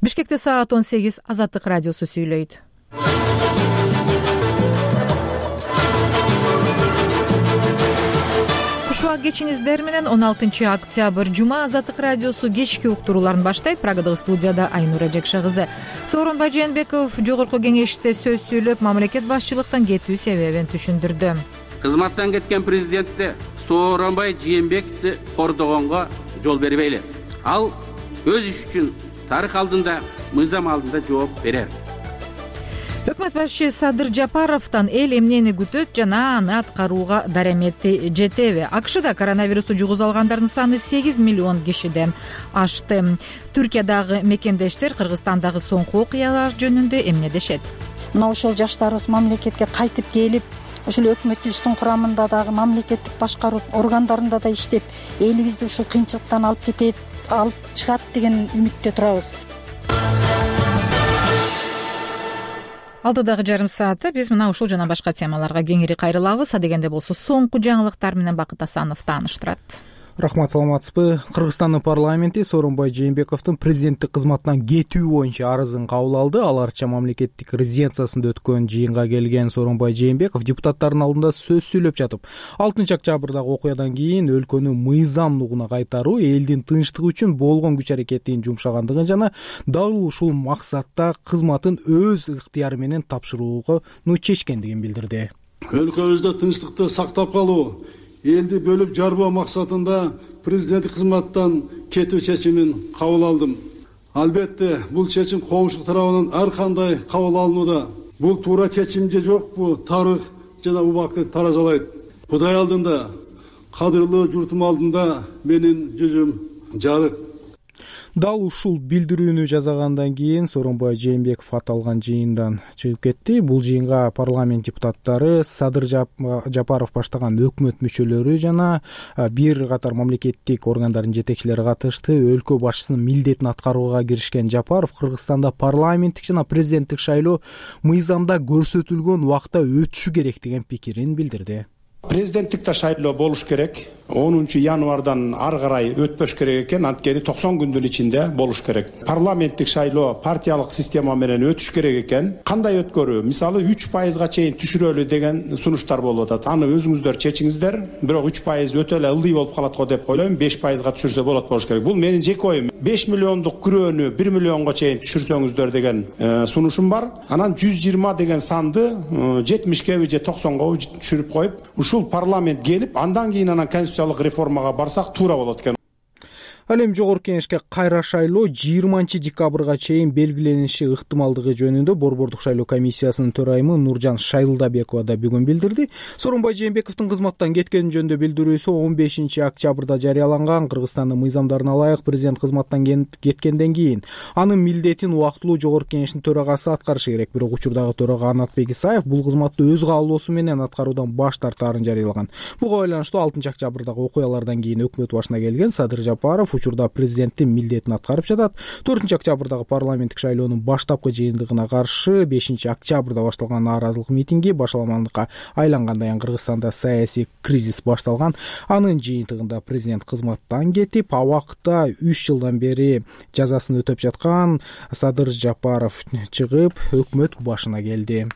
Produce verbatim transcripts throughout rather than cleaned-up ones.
Бишкекте саат он сегиз. Азаттык радиосу сүйлөйт. Кушубак кечиңиздер менен он алтынчы октябрь жума Азаттык радиосу кечки уктурууларын баштайт. Прагадагы студияда Айнура Жекше кызы. Сооронбай Жээнбеков жогорку кеңеште сөз сүйлөп, мамлекет башчылыктан кетүү себебин түшүндүрдү. Кызматтан кеткен президентти Сооронбай Жээнбековди кордогонго жол бербейли. Ал өз иш үчүн тарых алдында, мыйзам алдында жооп берер. Өкмөт башчы Садыр Жапаровдон эл эмнени күтөт жана аны аткарууга дарамети жетеби? АКШда коронавирусту жугуза алгандардын саны сегиз миллион кишиден ашты. Түркиядагы мекендештер Кыргызстандагы соңку окуялар жөнүндө эмне дешет? Мына ошол жаштарыбыз мамлекетке кайтып келип, ошол өкмөтүбүздүн курамында дагы мамлекеттик башкаруу органдарында да иштеп, элибизди ушул кыйынчылыктан алып кетет, алып чыгат деген үмүттө турабыз. Алдыдагы жарым саатта биз мына ушул жана башка темаларга кеңири кайрылабыз. Адегенде болсо соңку жаңылыктар менен Бакыт Асанов тааныштырат. Рахмат, саламатсызбы? Кыргызстандын парламенти Сооронбай Жээнбековдун президенттик кызматынан кетүү боюнча арызын кабыл алды. Ал арча мамлекеттик резиденциясында өткөн жыйынга келген Сооронбай Жээнбеков депутаттардын алдында сөз сүйлөп жатып, алтынчы октябрдагы окуядан кийин өлкөнү мыйзам нугуна кайтаруу, элдин тынчтыгы үчүн болгон күч аракетин жумшагандыгын жана дал ушул максатта кызматын өз ыктыяры менен тапшырууну чечкендигин билдирди. Өлкөбүздө тынчтыкты сактап калуу, элди бөлүп жарбоо максатында президенттик кызматтан кетүү чечимин кабыл алдым. Албетте, бул чечим коомчулук тарабынан ар кандай кабыл алынууда. Бул туура чечим же жокпу, тарых жана убакыт таразалайт. Кудай алдында, кадырлуу журтум алдында менин жүзүм жарык. Дал ушул билдирүүнү жасагандан кийин Сооронбай Жээнбеков аталган жыйындан чыгып кетти. Бул жыйынга парламент депутаттары, Садыр Жапаров баштаган өкмөт мүчөлөрү жана бир катар мамлекеттик органдардын жетекчилери катышты. Өлкө башчысынын милдетин аткарууга киришкен Жапаров Кыргызстанда парламенттик жана президенттик шайлоо мыйзамда көрсөтүлгөн убакта өтүшү керек деген пикирин билдирди. Президенттикте шайлоо болуш керек. онунчу январдан ары карай өтпөш керек экен, анткени токсон күндүн ичинде болуш керек. Парламенттик шайлоо партиялык система менен өтүш керек экен. Кандай өткөрүү? Мисалы үч пайызга чейин түшүрөлү деген сунуштар болуп атат. Аны өзүңүздөр чечиңиздер. Бирок үч пайыз өтө эле ылдый болуп калат го деп ойлойм. беш пайызга түшүрсө болот болуш керек. Бул менин жеке оюм. беш миллиондук күрөөнү бир миллионго чейин түшүрсөңүздөр деген сунушум бар. Анан жүз жыйырма деген санды жетимишке же токсонго түшүрүп коюп, ушул парламент келип, андан кийин анан конституциялык реформага барсак туура болот экен. Ал эми жогорку кеңешке кайра шайлоо жыйырманчы декабрга чейин белгилениши ыктымалдыгы жөнүндө Борбордук шайлоо комиссиясынын төрайымы Нуржан Шайлдабекова да бүгүн билдирди. Сооронбай Жээнбековдун кызматтан кеткени жөнүндө билдирүүсү он бешинчи октябрда жарыяланган. Кыргызстандын мыйзамдарына ылайык президент кызматтан кеткенден кийин анын милдетин убактылуу жогорку кеңештин төрагасы аткарышы керек. Бирок учурдагы төрага Анатбек Исаев бул кызматты өз каалоосу менен аткаруудан баш тартаарын жарыялаган. Буга байланыштуу алтынчы октябрдагы окуялардан кийин өкмөт башына келген Садыр Жапаров учурда президенттин милдетин аткарып жатат. төртүнчү октябрдагы парламенттик шайлоонун баштапкы жыйынтыгына каршы бешинчи октябрда башталган нааразылык митинги башаламандыкка айлангандан кийин Кыргызстанда саясий кризис башталган. Анын жыйынтыгында президент кызматтан кетип, абакта үч жылдан бери жазасын өтөп жаткан Садыр Жапаров чыгып, өкмөт башына келди.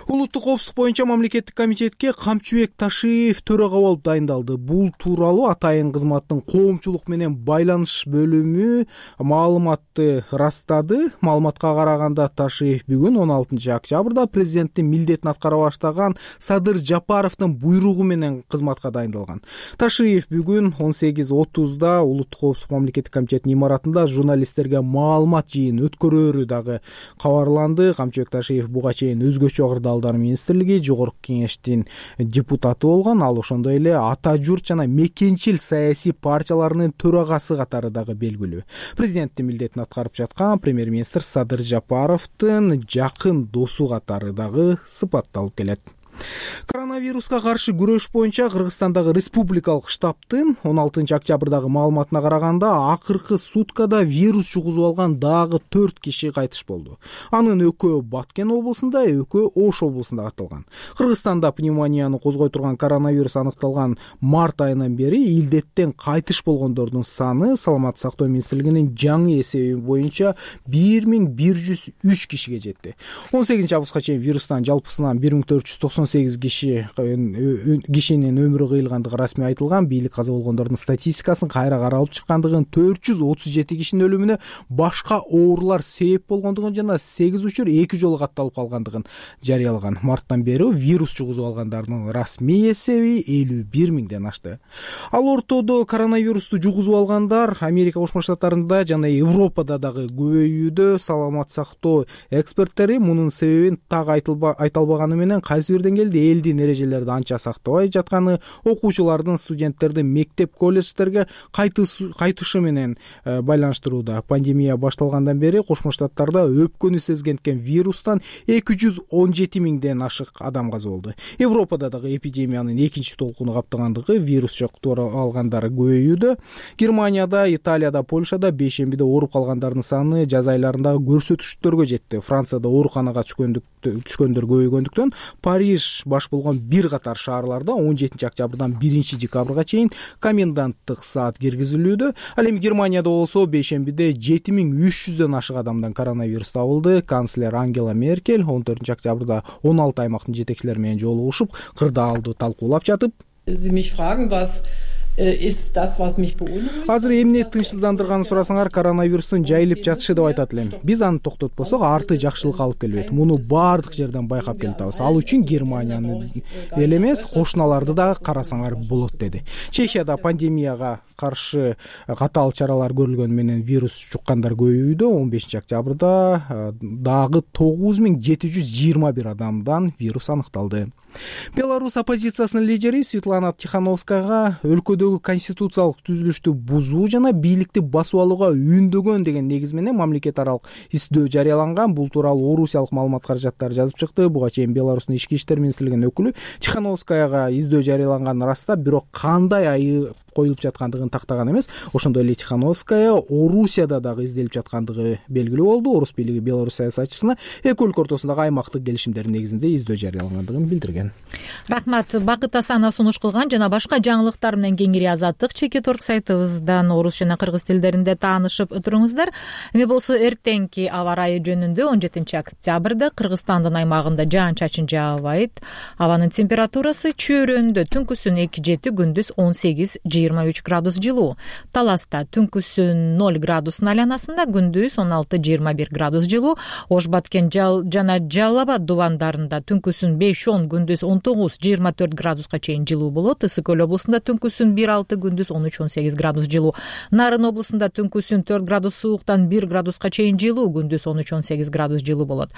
Улуттук коопсуздук боюнча мамлекеттик комитетке Камчыбек Ташиев төрага болуп дайындалды. Бул тууралуу атайын кызматтын коомчулук менен байланыш бөлүмү маалыматты растады. Маалыматка караганда Ташиев бүгүн он алтынчы октябрда президенттин милдетин аткара баштаган Садыр Жапаровдун буйругу менен кызматка дайындалган. Ташиев бүгүн он сегиз отузда Улуттук коопсуздук мамлекеттик комитетинин имаратында журналисттерге маалымат жыйын өткөрөөрү дагы кабарланды. Камчыбек Ташиев буга чейин өзгөчө кырдаалдар министрлиги жогорку кеңештин депутаты болгон. Ал ошондой эле ата журт жана мекенчил саясий партияларынын төрагасы катары дагы белгилүү. Президенттин милдетин аткарып жаткан премьер-министр Садыр Жапаровдун жакын досу катары дагы сыпатталып келет. Коронавируска каршы күрөш боюнча Кыргызстандагы республикалык штабтын он алтынчы октябрдагы маалыматына караганда акыркы суткада вирус жугузуп алган дагы төрт киши кайтыш болду. Анын экөө Баткен облусунда, экөө Ош облусунда катталган. Кыргызстанда пневмонияны козгой турган коронавирус аныкталган март айынан бери илдеттен кайтыш болгондордун саны Саламаттык сактоо министрлигинин жаңы эсеби боюнча бир миң бир жүз үч кишиге жетти. он сегизинчи августка чейин вирустан жалпысынан бир миң төрт жүз токсон сегиз киши кишинин өмүрү кыйылгандыгы расмий айтылган. Бийлик каза болгондордун статистикасын кайра каралып чыккандыгын, төрт жүз отуз жети кишинин өлүмүнө башка оорулар себеп болгондугун жана сегиз учур эки жолу катталып калгандыгын жарыялаган. Марттан бери вирус жугузуп алгандардын расмий эсеби элүү бир миңден ашты. Ал ортодо коронавирусту жугузуп алгандар Америка Кошмо Штаттарында жана Европада дагы көбөйүүдө. Саламаттык сактоо эксперттери мунун себебин так айта албаганы менен кайсы бир деңгээлде элдин эрежелерди анча сактабай жатканы, окуучулардын, студенттердин мектеп, колледждерге кайтышы менен байланыштырууда. Пандемия башталгандан бери Кошмо Штаттарда өпкөнү сезген вирустан эки жүз он жети миңден ашык адам каза болду. Европада дагы эпидемиянын экинчи толкуну каптагандыгы, вирус жуктуруп алгандар көбөйүүдө. Германияда, Италияда, Польшада бейшембиде ооруп калгандардын саны жаз айларындагы көрсөтүштөргө жетти. Францияда ооруканага түшкөндөр көбөйгөндүктөн Париж баш болгон бир катар шаарларда он жетинчи октябрдан биринчи декабрга чейин коменданттык саат киргизилүүдө. Ал эми Германияда болсо бейшембиде жети миң үч жүздөн ашык адамдан коронавирус табылды. Канцлер Ангела Меркель он төртүнчү октябрда он алты аймактын жетекчилери менен жолугушуп, кырдаалды талкуулап жатып, азыр эмне тынчсыздандырганын сурасаңар, коронавирустун жайылып жатышы деп айтат элем. Биз аны токтотпосок, арты жакшылыкка алып келбейт. Муну баардык жерден байкап келатабыз. Ал үчүн Германияны эле эмес, кошуналарды дагы карасаңар болот, деди. Чехияда пандемияга каршы катаал чаралар көрүлгөнү менен вирус жуккандар көбөйүүдө. он бешинчи октябрда дагы тогуз миң жети жүз жыйырма бир адамдан вирус аныкталды. Беларусь оппозициясынын лидери Светлана Тихановскаяга өлкөдөгү конституциялык түзүлүштү бузуу жана бийликти басып алууга үндөгөн деген негиз менен мамлекет аралык издөө жарыяланган. Бул тууралуу орусиялык маалымат каражаттары жазып чыкты. Буга чейин Беларустун ички иштер министрлигинин өкүлү Тихановскаяга издөө жарыяланган ырастап, бирок кандай айып коюлуп жаткандыгын тактаган эмес. Ошондой эле Тихановская Орусияда дагы изделип жаткандыгы белгилүү болду. Орус бийлиги Беларусь саясатчысына эки өлкө ортосундагы аймактык келишимдердин негизинде издөө жарыялангандыгын билдирген. Рахмат. Бакыт Асанов сунуш кылган жана башка жаңылыктар менен кеңири Азаттык чекит орг сайтыбыздан орус жана кыргыз тилдеринде таанышып туруңуздар. Эми болсо эртеңки аба ырайы жөнүндө он жетинчи октябрда Кыргызстандын аймагында жаан-чачын жаабайт. Абанын температурасы чөйрөндө түнкүсүн эки жети, күндүз он сегиз жыйырма үч градус жылуу. Таласта түнкүсүн ноль градустун айланасында, күндүз он алты жыйырма бир градус жылуу. Ош Баткен жана Жалал Абад дубандарында түнкүсүн беш он, күндүз он тогуз жыйырма төрт градуска чейин жылуу болот. Ысык көл облусунда түнкүсүн бир алты, күндүз он үч он сегиз градус жылуу. Нарын облусунда түнкүсүн төрт градус сууктан бир градуска чейин жылуу, күндүз он үч он сегиз градус жылуу болот.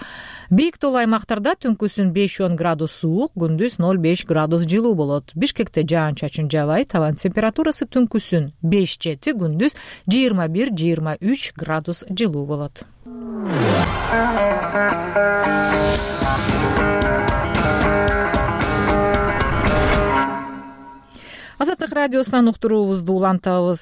Бийик тоолуу аймактарда түнкүсүн беш он градус суук, күндүз ноль беш градус жылуу болот. Бишкекте жаан-чачын жаабайт. Абанын температурасы түнкүсүн беш жети, күндүз жыйырма бир жыйырма үч градус жылуу болот. Азаттык радиосунан уктуруубузду улантабыз.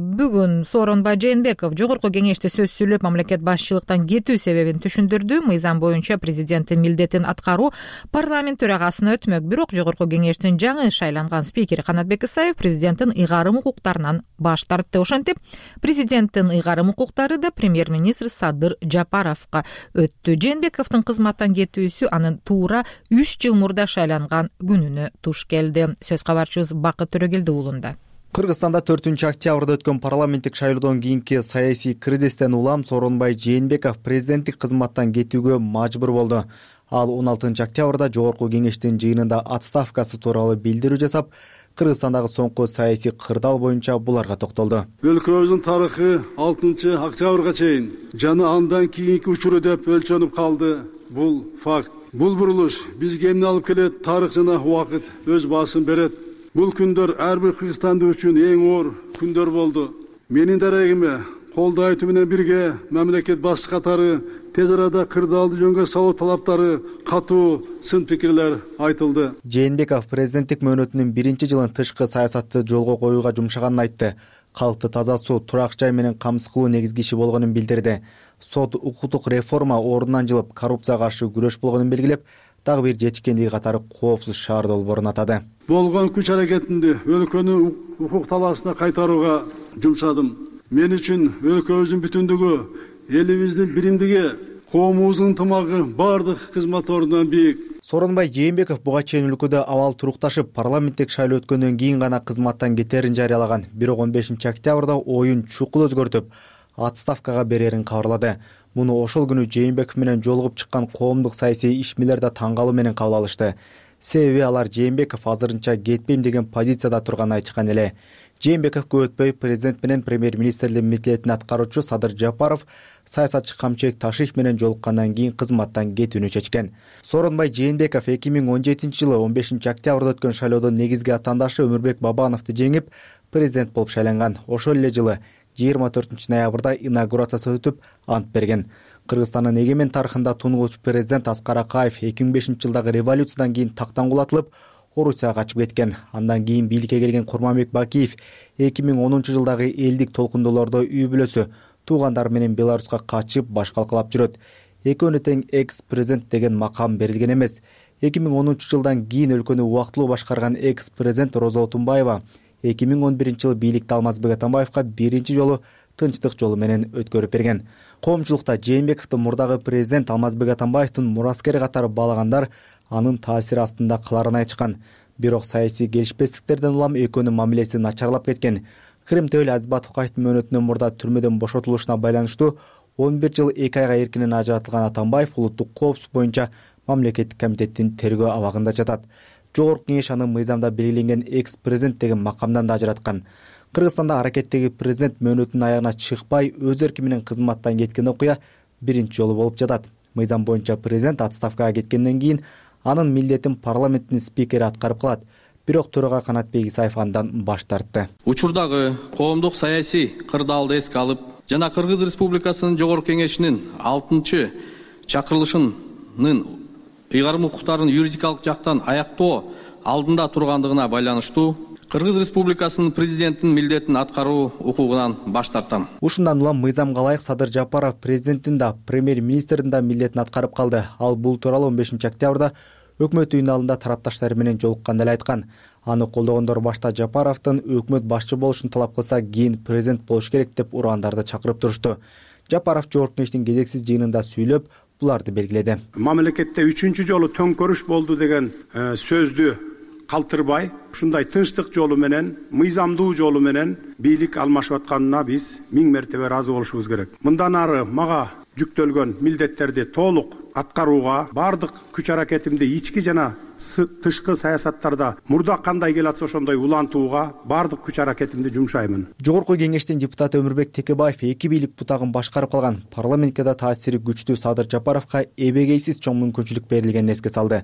Бүгүн Сооронбай Жээнбеков жогорку кеңеште сөз сүйлөп, мамлекет башчылыктан кетүү себебин түшүндүрдү. Мыйзам боюнча президенттин милдетин аткаруу парламент төрагасына өтмөк. Бирок жогорку кеңештин жаңы шайланган спикери Канатбек Исаев президенттин ыйгарым укуктарынан баш тартты. Ошентип, президенттин ыйгарым укуктары да премьер-министр Садыр Жапаровго өттү. Жээнбековдун кызматтан кетүүсү анын туура үч жыл мурда шайланган күнүнө туш келди. Сөз кабарчыбыз Бакыт Төрөгелди уулунда. Кыргызстанда төртүнчү октябрда өткөн парламенттик шайлоодон кийинки саясий кризистен улам Сооронбай Жээнбеков президенттик кызматтан кетүүгө мажбур болду. Ал он алтынчы октябрда жогорку кеңештин жыйынында отставкасы тууралуу билдирүү жасап, Кыргызстандагы соңку саясий кырдаал боюнча буларга токтолду. Өлкөбүздүн тарыхы алтынчы октябрга чейин жана андан кийинки учуру деп өлчөнүп калды. Бул факт. Бул бурулуш бизге эмне алып келет? Тарых жана убакыт өз баасын берет. Бул күндөр ар бир кыргызстандык үчүн эң оор күндөр болду. Менин дарегиме колдоо айтуу менен бирге мамлекет башчы катары тез арада кырдаалды жөнгө салуу талаптары катуу сын пикирлер айтылды. Жээнбеков президенттик мөөнөтүнүн биринчи жылын тышкы саясатты жолго коюуга жумшаганын айтты. Калкты таза суу, турак жай менен камсыз кылуу негизги иши болгонун билдирди. Сот укуктук реформа ордунан жылып, коррупцияга каршы күрөш болгонун белгилеп, дагы бир жетишкендиги катары коопсуз шаар долбоорун атады. Болгон күч аракетинди өлкөнүн укук талаасына кайтарууга жумшадым. Мен үчүн өлкөбүздүн бүтүндүгү, элибиздин биримдиги, коомубуздун ынтымагы бардык кызмат ордунан бийик. Сооронбай Жээнбеков буга чейин өлкөдө абал турукташып, парламенттик шайлоо өткөндөн кийин гана кызматтан кетерин жарыялаган. Бирок он бешинчи октябрда оюн чукул өзгөртүп, отставкага берерин кабарлады. Муну ошол күнү Жээнбеков менен жолугуп чыккан коомдук саясий ишмерлер да таң калуу менен кабыл алышты. Себеби алар Жээнбеков азырынча кетпейм деген позицияда турганын айтышкан эле. Жээнбеков көп өтпөй президент менен премьер-министрлик милдетин аткаруучу Садыр Жапаров саясатчы Камчыбек Ташиев менен жолуккандан кийин кызматтан кетүүнү чечкен. Сооронбай Жээнбеков эки миң он жетинчи жылы он бешинчи октябрда өткөн шайлоодо негизги атаандашы Өмүрбек Бабановду жеңип, президент болуп шайланган. Ошол эле жылы жыйырма төртүнчү ноябрда инаугурациясы өтүп, ант берген. Кыргызстандын эгемен тарыхында тунгуч президент Аскар Акаев эки миң бешинчи жылдагы революциядан кийин тактан кулатылып, Орусияга качып кеткен. Андан кийин бийликке келген Курманбек Бакиев эки миң онунчу жылдагы элдик толкундоолордо үй бүлөсү, туугандары менен Беларуска качып баш калкалап жүрөт. Экөөнө тең экс-президент деген макам берилген эмес. эки миң онунчу жылдан кийин өлкөнү убактылуу башкарган экс-президент Роза Отунбаева эки миң он биринчи жылы бийликти Алмазбек Атамбаевка биринчи жолу тынчтык жолу менен өткөрүп берген. Коомчулукта Жээнбековду мурдагы президент Алмазбек Атамбаевдин мураскери катары баалагандар анын таасири астында каларын айтышкан. Бирок саясий келишпестиктерден улам экөөнүн мамилеси начарлап кеткен. Крым Төөл Азбатовкаевдин мөөнөтүнөн мурда түрмөдөн бошотулушуна байланыштуу он бир жыл эки айга эркинен ажыратылган Атамбаев улуттук коопсуздук боюнча мамлекеттик комитеттин тергөө абагында жатат. Жогорку кеңеш аны мыйзамда белгиленген экс-президент деген макамдан да ажыраткан. Кыргызстанда аракеттеги президент мөөнөтүнүн аягына чыкпай өз эрки менен кызматтан кеткен окуя биринчи жолу болуп жатат. Мыйзам боюнча президент отставкага кеткенден кийин анын милдетин парламенттин спикери аткарып калат. Бирок төрага Канатбек Исаев андан баш тартты. Учурдагы коомдук саясий кырдаалды эске алып жана Кыргыз Республикасынын Жогорку кеңешинин алтынчы чакырылышынын ыйгарым укуктарын юридикалык жактан аяктоо алдында тургандыгына байланыштуу Кыргыз Республикасынын президентинин милдетин аткаруу укугунан баш тартам. Ушундан улам мыйзамга ылайык Садыр Жапаров президенттин да, премьер-министрдин да милдетин аткарып калды. Ал бул тууралуу он бешинчи октябрда өкмөт үйүнүн алдында тарапташтары менен жолукканда эле айткан. Аны колдогондор башта Жапаровдун өкмөт башчы болушун талап кылса, кийин президент болуш керек деп урандарды чакырып турушту. Жапаров Жогорку кеңештин кезексиз жыйынында сүйлөп, буларды белгиледи. Мамлекетте үчүнчү жолу төңкөрүш болду деген сөздү калтырбай, ушундай тынчтык жолу менен, мыйзамдуу жолу менен бийлик алмашып атканына биз миң мертебе ыраазы болушубуз керек. Мындан ары мага жүктөлгөн милдеттерди толук аткарууга, бардык күч аракетимди ички жана тышкы саясаттарда мурда кандай келатса ошондой улантууга бардык күч аракетимди жумшаймын. Жогорку кеңештин депутаты Өмүрбек Текебаев эки бийлик бутагын башкарып калган. Парламентке да таасири күчтүү Садыр Жапаровго эбегейсиз чоң мүмкүнчүлүк берилгенин эске салды.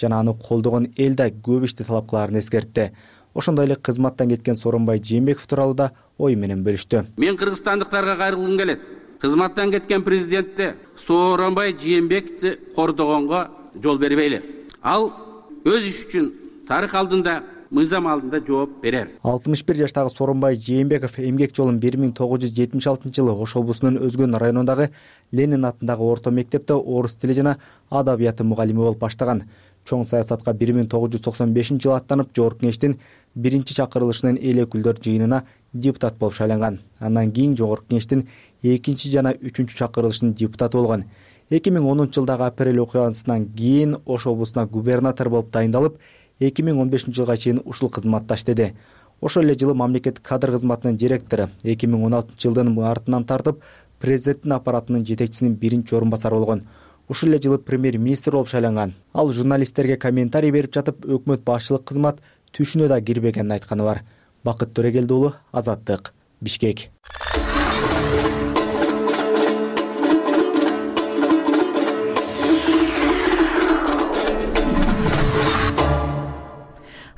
Жана аны колдогон эл да көп ишти талап кылаарын эскертти. Ошондой эле кызматтан кеткен Сооронбай Жээнбеков тууралуу да ой менен бөлүштү. Мен кыргызстандыктарга кайрылгым келет. Кызматтан кеткен президентти Сооронбай Жээнбековду кордогонго жол бербейли. Ал өз иши үчүн тарых алдында, мыйзам алдында жооп берер. алтымыш бир жаштагы Сооронбай Жээнбеков эмгек жолун бир миң тогуз жүз жетимиш алтынчы жылы Ош облусунун Өзгөн районундагы Ленин атындагы орто мектепте орус тили жана адабияты мугалими болуп баштаган. Чоң саясатка бир миң тогуз жүз токсон бешинчи жылы аттанып, Жогорку кеңештин биринчи чакырылышынын эл өкүлдөр жыйынына депутат болуп шайланган. Андан кийин Жогорку кеңештин экинчи жана үчүнчү чакырылышынын депутаты болгон. эки миң онунчу жылдагы апрель окуясынан кийин Ош облусуна губернатор болуп дайындалып, эки миң он бешинчи жылга чейин ушул кызматта иштеди. Ошол эле жылы мамлекеттик кадр кызматынын директору, эки миң он алтынчы жылдын мартынан тартып президенттин аппаратынын жетекчисинин биринчи орун басары болгон. Ушул эле жылы премьер-министр болуп шайланган. Ал журналисттерге комментарий берип жатып, өкмөт башчылык кызмат түшүнө да кирбегенин айтканы бар. Бакыт Төрегелди уулу, Азаттык, Бишкек.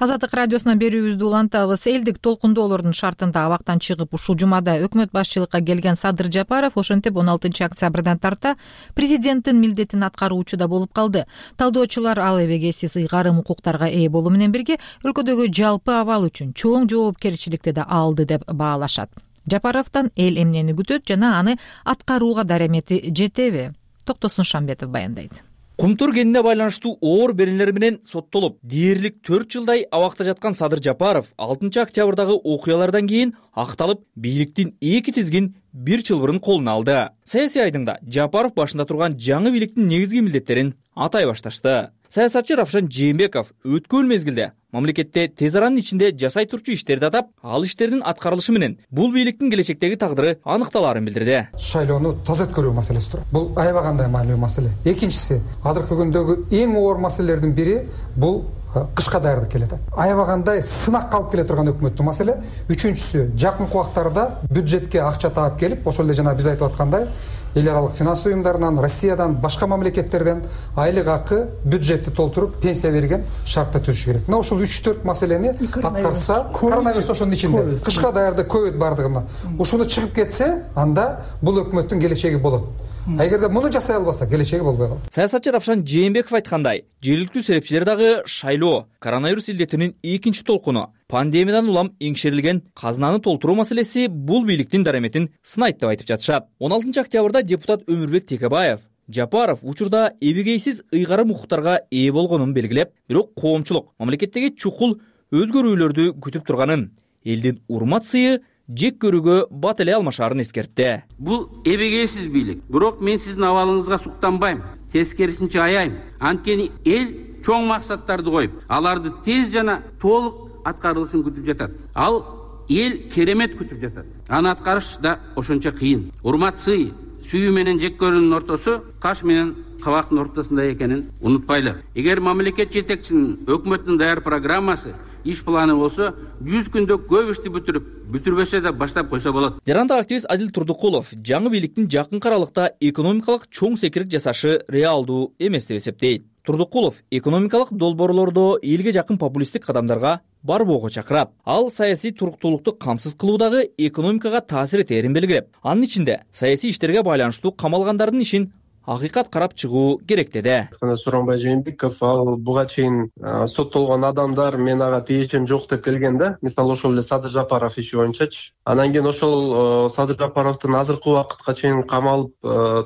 Азаттык радиосунан берүүбүздү улантабыз. Элдик толкундоолордун шартында абактан чыгып ушул жумада өкмөт башчылыкка келген Садыр Жапаров ошентип он алтынчы октябрдан тарта президенттин милдетин аткаруучу да болуп калды. Талдоочулар ал эбегейсиз ыйгарым укуктарга ээ болуу менен бирге өлкөдөгү жалпы абал үчүн чоң жоопкерчиликти да алды деп баалашат. Жапаровдон эл эмнени күтөт жана аны аткарууга даремети жетеби? Токтосун Шамбетов баяндайт. Кумтур кенине байланыштуу оор беренелер менен соттолуп, дээрлик төрт жылдай абакта жаткан Садыр Жапаров алтынчы октябрдагы окуялардан кийин акталып, бийликтин эки тизгин бир чылбырын колуна алды. Саясий айдыңда Жапаров башында турган жаңы бийликтин негизги милдеттерин атай башташты. Саясатчы Равшан Жээнбеков өткөн мезгилде мамлекетте тез аранын ичинде жасай турчу иштерди атап, ал иштердин аткарылышы менен бул бийликтин келечектеги тагдыры аныкталаарын билдирди. Шайлоону таза өткөрүү маселеси туурат. Бул аябагандай маанилүү маселе. Экинчиси, азыркы күндөгү эң оор маселелердин бири бул кышка даярдык келет. Аябагандай сынак калып келе турган өкмөттүн маселе. Үчүнчүсү, жакынкы убактарда бюджетке акча таап келип, ошол эле жана биз айтып аткандай эл аралык финанс уюмдарынан, Россиядан, башка мамлекеттерден айлык акы, бюджетти толтуруп, пенсия берген шартта түзүш керек. Мына ушул үч төрт маселени аткарса, коронавирус ошонун ичинде, кышка даярдык, ковид бардыгына. Ушуну чыгып кетсе, анда бул өкмөттүн келечеги болот. А эгерде муну жасай албаса, келечеги болбой калат. Саясатчы Равшан Жээнбеков айткандай, жергиликтүү серепчилер дагы шайлоо, коронавирус илдетинин экинчи толкуну, пандемиядан улам эңшерилген казынаны толтуруу маселеси бул бийликтин дареметин сынайт деп айтып жатышат. он алтынчы октябрда депутат Өмүрбек Текебаев Жапаров учурда эбегейсиз ыйгарым укуктарга ээ болгонун белгилеп, бирок коомчулук мамлекеттеги чукул өзгөрүүлөрдү күтүп турганын, элдин урмат сыйы жек көрүүгө бат эле алмашаарын эскертти. Бул эбегейсиз бийлик. Бирок мен сиздин абалыңызга суктанбайм. Тескерисинче аяйм. Анткени эл чоң максаттарды коюп, аларды тез жана толук аткарылышын күтүп жатат. Ал эл керемет күтүп жатат. Аны аткарыш да ошончо кыйын. Урмат сый, сүйүү менен жек көрүүнүн ортосу каш менен кабактын ортосунда экенин унутпайлы. Эгер мамлекет жетекчисинин, өкмөттүн даяр программасы, иш планы болсо, жүз күндө көп ишти бүтүрүп, бүтүрбөсө да баштап койсо болот. Жарандык активист Адил Турдукулов жаңы бийликтин жакынкы аралыкта экономикалык чоң секирик жасашы реалдуу эмес деп эсептейт. Турдукулов экономикалык долбоорлордо элге жакын популисттик кадамдарга барбоого чакырат. Ал саясий туруктуулукту камсыз кылуудагы экономикага таасир этерин белгилеп, анын ичинде саясий иштерге байланыштуу камалгандардын ишин акыйкат карап чыгуу керек деди. Сооронбай Жээнбеков ал буга чейин соттолгон адамдар мен ага тиешим жок деп келгенде, мисалы ошол эле Садыр Жапаров иши боюнчачы. Анан кийин ошол Садыр Жапаровдун азыркы убакытка чейин камалып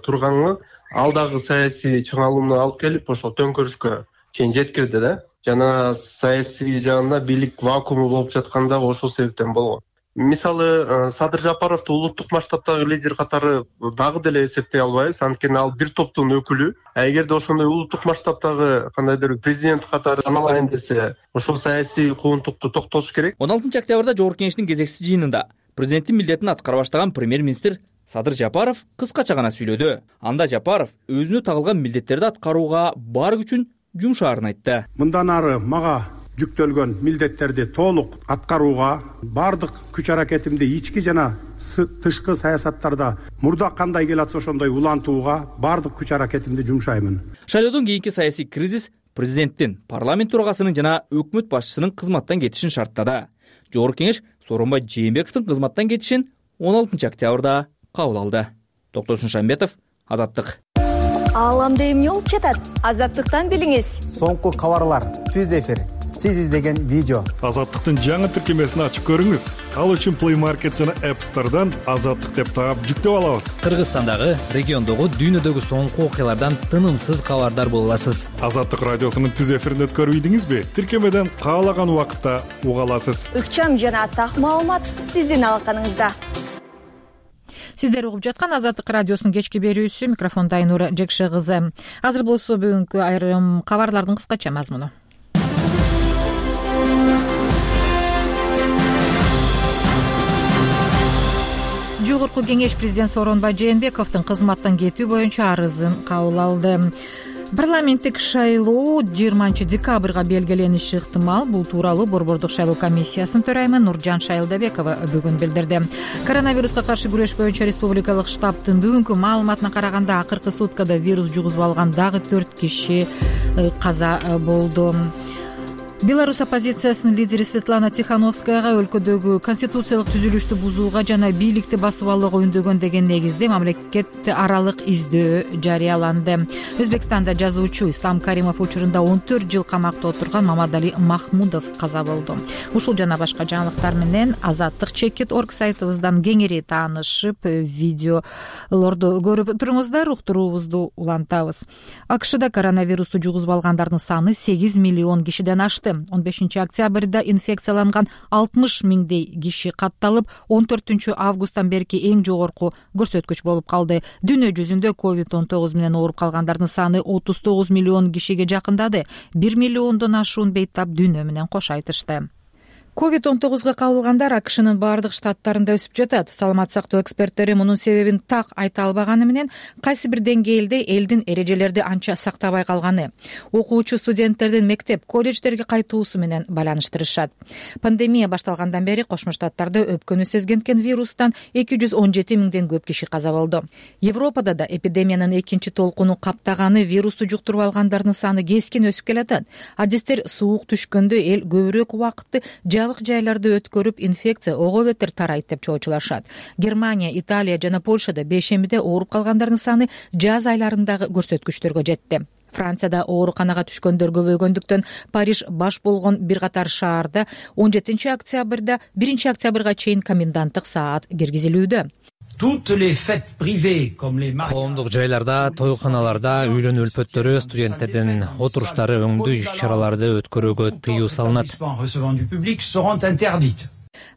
турганы ал дагы саясий чыңалууну алып келип, ошол төңкөрүшкө чейин жеткирди да. Жана саясий жагында бийлик вакууму болуп жатканда ошол себептен болгон. Мисалы, Садыр Жапаровду улуттук масштабтагы лидер катары дагы деле эсептей албайбыз, анткени ал бир топтун өкүлү. А эгерде ошондой улуттук масштабтагы кандайдыр президент катары саналайын десе, ошол саясий куугунтукту токтотуш керек. он алтынчы октябрда Жогорку Кеңештин кезектеси жыйынында президенттин милдетин аткара баштаган премьер-министр Садыр Жапаров кыскача гана сүйлөдү. Анда Жапаров өзүнө тагылган милдеттерди аткарууга бар күчүн жумшаарын айтты. Мындан ары мага жүктөлгөн милдеттерди толук аткарууга бардык күч аракетимди ички жана тышкы саясаттарда мурда кандай келатса ошондой улантууга бардык күч аракетимди жумшаймын. Шайлоодон кийинки саясий кризис президенттин, парламент төрагасынын жана өкмөт башчысынын кызматтан кетишин шарттады. Жогорку Кеңеш Сооронбай Жээнбековдун кызматтан кетишин он алтынчы октябрда кабыл алды. Токтосун Шамбетов, Азаттык. Ааламда эмне болуп жатат? Азаттыктан билиңиз. Соңку кабарлар, түз эфир, сиз издеген видео. Азаттыктын жаңы тиркемесин ачып көрүңүз. Ал үчүн Play Market жана App Store'дан Азаттык деп таап жүктөп алабыз. Кыргызстандагы, региондогу, дүйнөдөгү соңку окуялардан тынымсыз кабардар боло аласыз. Азаттык радиосунун түз эфирин өткөрбөйдүңүзбү? Тиркемеден каалаган убакытта уга аласыз. Ыкчам жана так маалымат сиздин алаканыңызда. Сиздер угуп жаткан Азаттык радиосунун кечки берүүсү, микрофонда Айнура Жекше кызы. Азыр болсо бүгүнкү айрым кабарлардын кыскача мазмуну. Жогорку Кеңеш президент Сооронбай Жээнбековдун кызматтан кетүү боюнча арызын кабыл алды. Парламенттик шайлоо жыйырманчы декабрга белгилениши ыктымал. Бул тууралуу Борбордук шайлоо комиссиясынын төрайымы Нуржан Шайылдабекова бүгүн билдирди. Коронавируска каршы күрөш боюнча республикалык штабтын бүгүнкү маалыматына караганда акыркы суткада вирус жугузуп алган дагы төрт киши каза болду. Беларусь оппозициясынын лидери Светлана Тихановскаяга өлкөдөгү конституциялык түзүлүштү бузууга жана бийликти басып алууга үндөгөн деген негизде мамлекет аралык издөө жарыяланды. Өзбекстанда жазуучу Ислам Каримов учурунда он төрт жыл камакта отурган Мамадали Махмудов каза болду. Ушул жана башка жаңылыктар менен азаттык чекит орг сайтыбыздан кеңири таанышып, видеолорду көрүп туруңуздар, уктуруубузду улантабыз. АКШда коронавирусту жугузуп алгандардын саны сегиз миллион кишиден ашты. он бешинчи октябрда инфекцияланган алтымыш миңдей киши катталып, он төртүнчү августтан берки эң жогорку көрсөткүч болуп калды. Дүйнө жүзүндө ковид он тогуз менен ооруп калгандардын саны отуз тогуз миллион кишиге жакындады. бир миллиондон ашуун бейтап дүйнө менен кош айтышты. ковид он тогузга кабылгандар АКШнын баардык штаттарында өсүп жатат. Саламат сактоо эксперттери мунун себебин так айта албаганы менен кайсы бир деңгээлде элдин эрежелерди анча сактабай калганы, окуучу студенттердин мектеп, колледждерге кайтуусу менен байланыштырышат. Пандемия башталгандан бери Кошмо Штаттарда өпкөнү сезгенткен вирустан эки жүз он жети миңден көп киши каза болду. Европада да эпидемиянын экинчи толкуну каптаганы вирусту жуктуруп алгандардын саны кескин өсүп келатат. Адистер суук түшкөндө эл көбүрөөк убакытты жабык жайларды өткөрүп, инфекция ого бетер тарайт деп чоочулашат. Германия, Италия жана Польшада бейшембиде ооруп калгандардын саны жаз айларындагы көрсөткүчтөргө жетти. Францияда ооруканага түшкөндөр көбөйгөндүктөн Париж баш болгон бир катар шаарда он жетинчи октябрда биринчи октябрга чейин коменданттык саат киргизилүүдө. Коомдук жайларда, тойканаларда үйлөнүү өлпөттөрү, студенттердин отуруштары, өңдүү иш-чараларды өткөрүүгө тыюу салынат,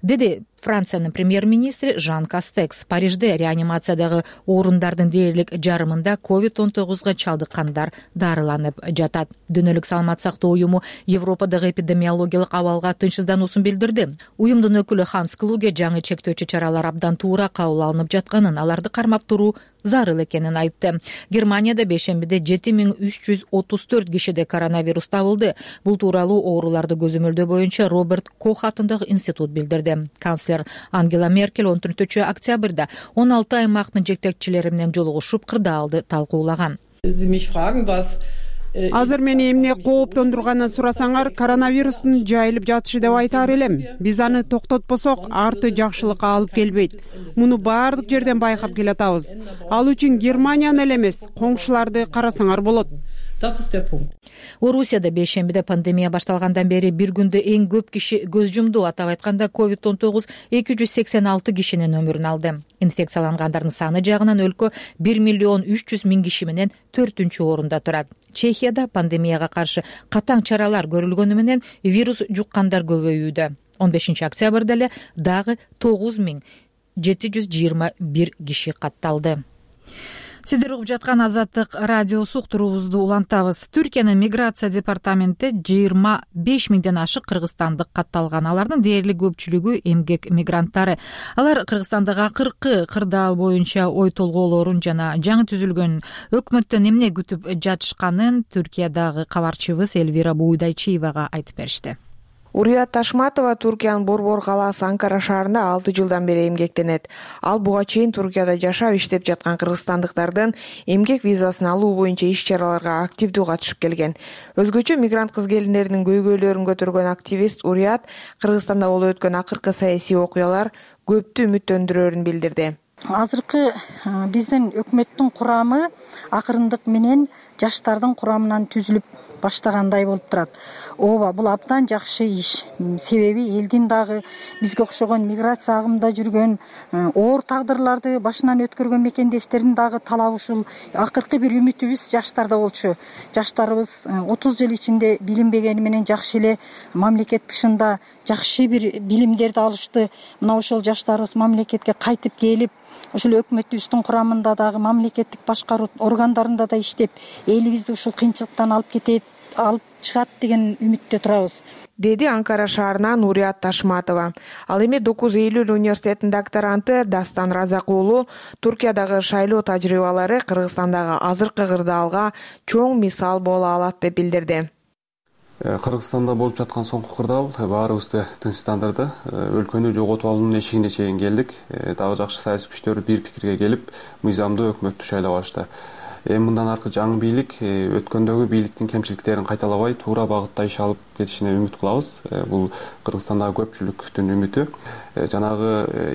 деди Франциянын премьер-министри Жан Кастекс. Парижде реанимациядагы орундардын дээрлик жарымында ковид он тогузга чалдыккандар дарыланып жатат. Дүйнөлүк саламат сактоо уюму Европадагы эпидемиологиялык абалга тынчсыздануусун билдирди. Уюмдун өкүлү Ханс Клуге жаңы чектөөчү чаралар абдан туура кабыл алынып жатканын, аларды кармап туруу зарыл экенин айтты. Германияда бейшембиде жети миң үч жүз отуз төрт кишиде коронавирус табылды. Бул тууралуу ооруларды көзөмөлдөө боюнча Роберт Кох атындагы институт билдирди. Канцлер Ангела Меркель он төртүнчү октябрда он алты аймактын жетекчилери менен жолугушуп, кырдаалды талкуулаган. Азыр мени эмне кооптондурганын сурасаңар, коронавирустун жайылып жатышы деп айтаар элем. Биз аны токтотпосок, арты жакшылыкка алып келбейт. Муну баардык жерден байкап келатабыз. Ал үчүн Германияны эле эмес, коңшуларды карасаңар болот. Орусияда бейшембиде пандемия башталгандан бери бир күндө эң көп киши көз жумду. Атап айтканда ковид он тогуз эки жүз сексен алты кишинин өмүрүн алды. Инфекциялангандардын саны жагынан өлкө бир миллион үч жүз миң киши менен төртүнчү орунда турат. Чехияда пандемияга каршы катаң чаралар көрүлгөнү менен вирус жуккандар көбөйүүдө. он бешинчи октябрда эле дагы тогуз миң жети жүз жыйырма бир киши катталды. Сиздер угуп жаткан Азаттык радиосу, уктуруубузду улантабыз. Түркиянын миграция департаменти жыйырма беш миңден ашык кыргызстандык катталган. Алардын дээрлик көпчүлүгү эмгек мигранттары. Алар Кыргызстандагы акыркы кырдаал боюнча ой толгоолорун жана жаңы түзүлгөн өкмөттөн эмне күтүп жатышканын Түркиядагы кабарчыбыз Элвира Буудайчиевага айтып беришти. Урият Ташматова Туркиянын Борбор калаасы Анкара шаарында алты жылдан бери эмгектенет. Ал буга чейин Туркияда жашап иштеп жаткан кыргызстандыктардын эмгек визасын алуу боюнча иш-чараларга активдүү катышып келген. Өзгөчө мигрант кыз келиндеринин көйгөйлөрүн көтөргөн активист Урият Кыргызстанда болуп өткөн акыркы саясий окуялар көптү үмүттөндүрөөрүн билдирди. Азыркы биздин өкмөттүн курамы акырындык менен жаштардын курамынан түзүлүп баштагандай болуп турат. Ооба, бул абдан жакшы иш. Себеби элдин дагы бизге окшогон миграция агымында жүргөн, оор тагдырларды башынан өткөргөн мекендештердин дагы талабы ушул. Акыркы бир үмүтүбүз жаштарда болчу. Жаштарыбыз отуз жыл ичинде билинбегени менен жакшы эле мамлекет тышында жакшы бир билимдерди алышты. Мына ошол жаштарыбыз мамлекетке кайтып келип, ушул өкмөтүбүздүн курамында дагы мамлекеттик башкаруу органдарында да иштеп, элибизди ушул кыйынчылыктан алып кетет, алып чыгат деген үмүттө турабыз, деди Анкара шаарынан Урият Ташматова. Ал эми токуз июль университетинин докторанты Дастан Разак уулу Туркиядагы шайлоо тажрыйбалары Кыргызстандагы азыркы кырдаалга чоң мисал боло алат деп билдирди. Кыргызстанда болуп жаткан соңку кырдаал баарыбызды тынчтандырды. Өлкөнү жоготуп алуунун эшигине чейин келдик. Дагы жакшы саясий күчтөр бир пикирге келип, мыйзамдуу өкмөттү шайлап алышты. эми мындан аркы жаңы бийлик өткөндөгү бийликтин кемчиликтерин кайталабай туура багытта иш алып кетишине үмүт кылабыз. Бул Кыргызстандагы көпчүлүктүн үмүтү. Жанагы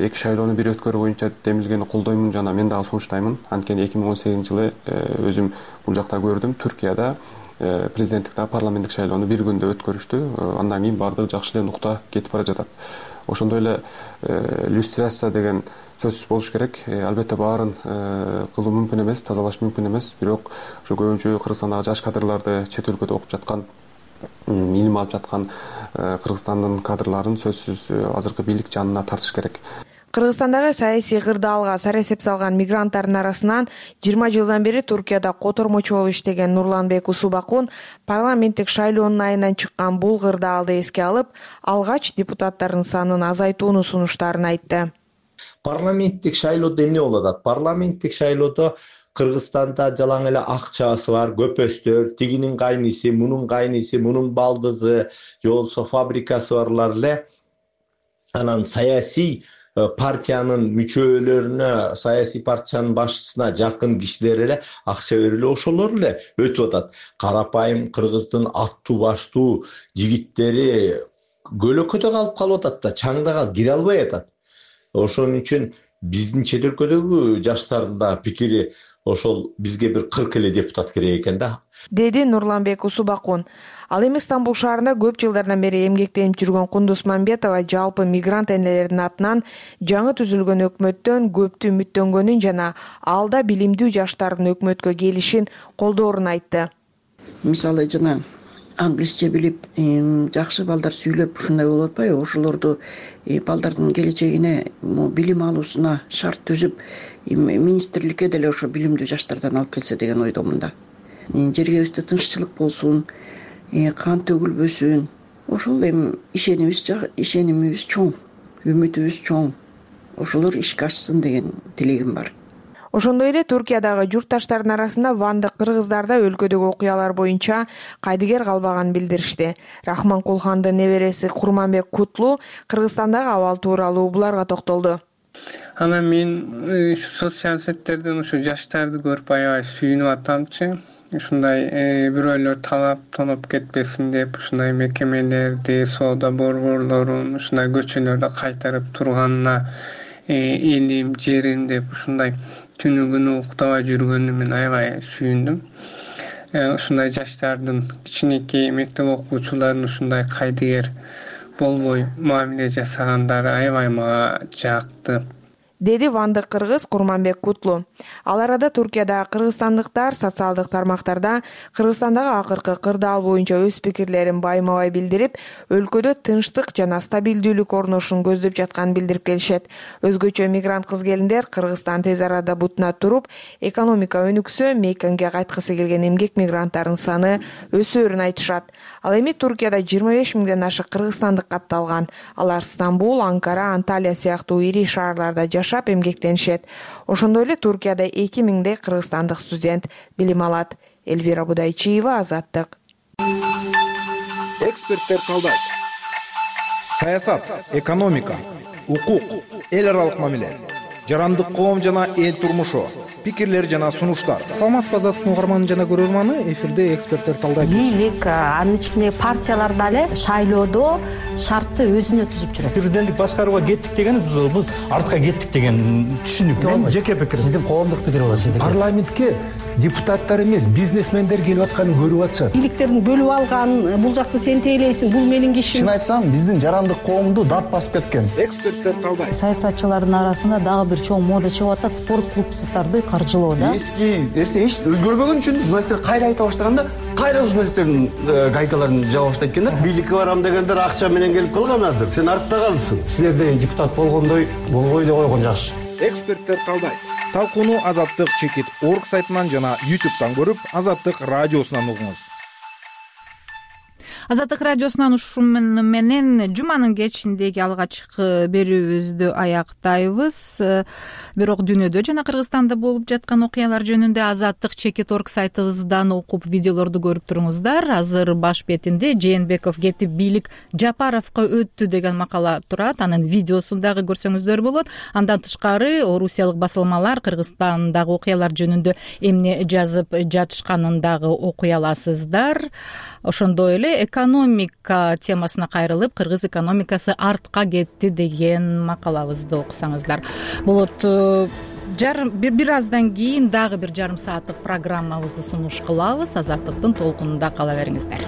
эки шайлоону бир өткөрүү боюнча демилгени колдоймун жана мен дагы сунуштаймын. Анткени эки миң он сегизинчи жылы өзүм бул жакта көрдүм. Түркияда президенттик жана парламенттик шайлоону бир күндө өткөрүштү. Андан кийин баардыгы жакшы эле нукта кетип бара жатат. Ошондой эле иллюстрация деген сөзсүз болуш керек. Албетте баарын кылуу мүмкүн эмес, тазалаш мүмкүн эмес. Бирок ошо көбүнчө Кыргызстандагы жаш кадрларды чет өлкөдө окуп жаткан, илим алып жаткан Кыргызстандын кадрларын сөзсүз азыркы бийлик жанына тартыш керек. Кыргызстандагы саясий кырдаалга сара эсеп салган мигранттардын арасынан жыйырма жылдан бери Туркияда котормочу болуп иштеген Нурланбек Усубакун парламенттик шайлоонун айынан чыккан бул кырдаалды эске алып, алгач депутаттардын санын азайтууну сунуштарын айтты. Парламенттик шайлоодо эмне болуп атат? Парламенттик шайлоодо Кыргызстанда жалаң эле акчасы бар көпөстөр, тигинин кайниси, мунун кайниси, мунун балдызы, же болбосо фабрикасы барлар эле анан саясий партиянын мүчөлөрүнө, саясий партиянын башчысына жакын кишилер эле акча берип ошолор эле өтүп атат. Карапайым кыргыздын аттуу баштуу жигиттери көлөкөдө калып калып атат да, чаңдага кире албай атат. Ошон үчүн биздин чет өлкөдөгү жаштардын да пикири ошол бизге бир кырк эле депутат керек экен да, деди Нурланбек Усубакун. Ал эми Стамбул шаарында көп жылдардан бери эмгектенип жүргөн Кундуз Мамбетова жалпы мигрант энелердин атынан жаңы түзүлгөн өкмөттөн көптү үмүттөнгөнүн жана алда билимдүү жаштардын өкмөткө келишин колдоорун айтты. Мисалы жана англисче билип, жакшы балдар сүйлөп ушундай болуп атпайбы? Ошолорду балдардын келечегине, билим алуусуна шарт түзүп, министрликке деле ошо билимдүү жаштардан алып келсе деген ойдомун да. Жергебизде тынччылык болсун, кан төгүлбөсүн. Ошол эми ишенимибиз ишенимибиз чоң, үмүтүбүз чоң. Ошолор ишке ашсын деген тилегим бар. Ошондой эле Туркиядагы журтташтардын арасында вандык кыргыздар да өлкөдөгү окуялар боюнча кайдыгер калбаганын билдиришти. Рахман Кулхандын небереси Курманбек Кутлу Кыргызстандагы абал тууралуу буларга токтолду. Анан мен ушу социал сеттерден ушу жаштарды көрүп аябай сүйүнүп атамчы. Ушундай бирөөлөр талап тоноп кетпесин деп ушундай мекемелерди, соода борборлорун ушундай көчөлөрдө кайтарып турганына элим, жерим деп ушундай түнү күнү уктабай жүргөнүнө мен аябай сүйүндүм. Ушундай жаштардын, кичинекей мектеп окуучуларын ушундай кайдыгер болбой мамиле жасагандары аябай мага жакты, деди вандык кыргыз Курманбек Кутлу. Ал арада Туркиядагы кыргызстандыктар социалдык тармактарда Кыргызстандагы акыркы кырдаал боюнча өз пикирлерин байма-бай билдирип, өлкөдө тынчтык жана стабилдүүлүк орношун көздөп жатканын билдирип келишет. Өзгөчө мигрант кыз-келиндер Кыргызстан тез арада бутуна туруп, экономика өнүксө, мейкенге кайткысы келген эмгек мигранттардын саны өсөөрүн айтышат. Ал эми Туркияда жыйырма беш миңден ашык кыргызстандык катталган. Алар Стамбул, Анкара, Анталия сыяктуу ири шаарларда жашап эмгектенишет. Ошондой эле Туркияда эки миңдей кыргызстандык студент билим алат. Элвира Будайчиева, Азаттык. Эксперттер калдайт. Саясат, экономика, укук, эл аралык мамиле, жарандык коом жана эл турмушу, пикирлер жана сунуштар. Саламатсызбы Азаттыктын угарманы жана көрөрманы, эфирде эксперттер талдайт. Бийлик, анын ичинде партиялар дагы шайлоодо шартты өзүнө түзүп жүрөт. Президенттик башкарууга кеттик деген биз артка кеттик деген түшүнүк. Мен жеке пикирим. Сиздин коомдук пикир болот сиздин. Парламентке депутаттар эмес, бизнесмендер келип атканын көрүп атышат. Бийликтерин бөлүп алган, бул жакты сен тейлейсиң, бул менин кишим. Чын айтсам, биздин жарандык коомду дат басып кеткен. Эксперттер талдайт. Саясатчылардын арасында дагы бир чоң мода чыгып атат, спорт клубдарды каржылоо да. Эски эсе эч өзгөрбөгөн үчүн журналисттер кайра айта баштаганда, кайра журналисттердин гайкаларын жаба баштайт экен да. Бийликке барам дегендер акча менен келип калганадыр. Сен артта калыпсың. Силерде депутат болгондой болбой деп койгон жакшы. Эксперттер талдайт. Талкууну Азаттык чекит орг сайтынан жана ютубтан көрүп, Азаттык радиосунан угуңуз. Азаттык радиосунан ушу менен жуманын кечиндеги алгачкы берүүбүздү аяктайбыз. Бирок дүйнөдө жана Кыргызстанда болуп жаткан окуялар жөнүндө Азаттык чекит орг сайтыбыздан окуп видеолорду көрүп туруңуздар. Азыр баш бетинде Жээнбеков кетип бийлик Жапаровго өттү деген макала турат. Анын видеосун дагы көрсөңүздөр болот. Андан тышкары орусиялык басылмалар Кыргызстандагы окуялар жөнүндө эмне жазып жатышканын дагы окуй аласыздар. Ошондой эле экономика темасына кайрылып, кыргыз экономикасы артка кетти деген макалабызды окусаңыздар болот. Жарым бир бир аздан кийин дагы бир жарым сааттык программабызды сунуш кылабыз. Азаттыктын толкунунда кала бериңиздер.